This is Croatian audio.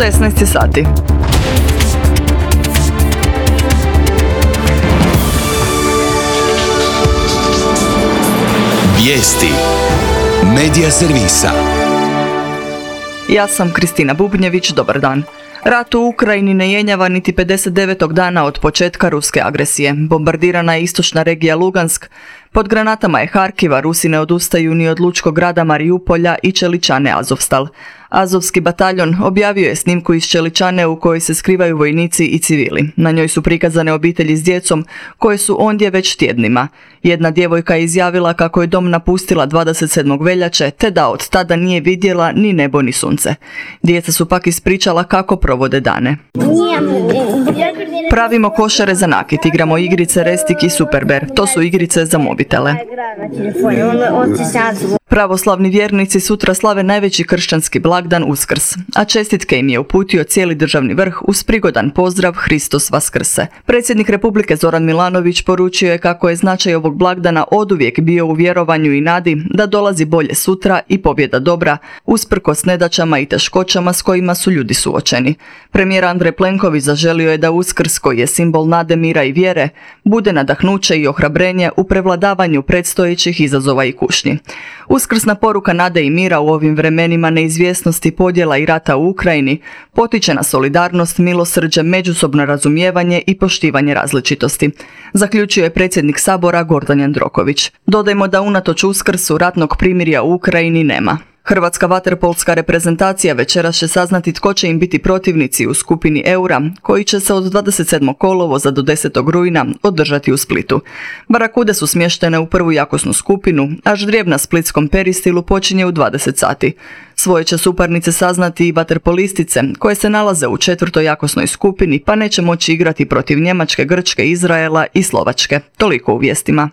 16 sati. Vijesti Medija servisa. Ja sam Kristina Bubnjević, dobar dan. Rat u Ukrajini ne jenjava niti 59. dana od početka ruske agresije. Bombardirana je istočna regija Lugansk, pod granatama je Harkiva, Rusi ne odustaju ni od lučkog grada Mariupolja i Čeličane Azovstal. Azovski bataljon objavio je snimku iz Čeličane u kojoj se skrivaju vojnici i civili. Na njoj su prikazane obitelji s djecom koje su ondje već tjednima. Jedna djevojka je izjavila kako je dom napustila 27. veljače te da od tada nije vidjela ni nebo ni sunce. Djeca su pak ispričala kako provode dane. Pravimo košare za nakit, igramo igrice Restik i Superber. To su igrice za mobitele. Pravoslavni vjernici sutra slave najveći kršćanski blagdan Uskrs, a čestitke im je uputio cijeli državni vrh uz prigodan pozdrav Hristos Vaskrse. Predsjednik Republike Zoran Milanović poručio je kako je značaj ovog blagdana oduvijek bio u vjerovanju i nadi da dolazi bolje sutra i pobjeda dobra, usprkos nedaćama i teškoćama s kojima su ljudi suočeni. Premijer Andrej Plenković zaželio je da Uskrs, koji je simbol nade, mira i vjere, bude nadahnuće i ohrabrenje u prevladavanju predstojećih izazova i kušnji. Uskrsna poruka nade i mira u ovim vremenima neizvjesnosti, podjela i rata u Ukrajini potiče na solidarnost, milosrđe, međusobno razumijevanje i poštivanje različitosti, zaključio je predsjednik Sabora Gordan Jandroković. Dodajmo da unatoč Uskrsu ratnog primirja u Ukrajini nema. Hrvatska vaterpolska reprezentacija večeras će saznati tko će im biti protivnici u skupini Eura, koji će se od 27. kolovoza do 10. rujna održati u Splitu. Barakude su smještene u prvu jakosnu skupinu, a ždrijeb na splitskom Peristilu počinje u 20 sati. Svoje će suparnice saznati i vaterpolistice, koje se nalaze u 4. jakosnoj skupini, pa neće moći igrati protiv Njemačke, Grčke, Izraela i Slovačke. Toliko u vijestima.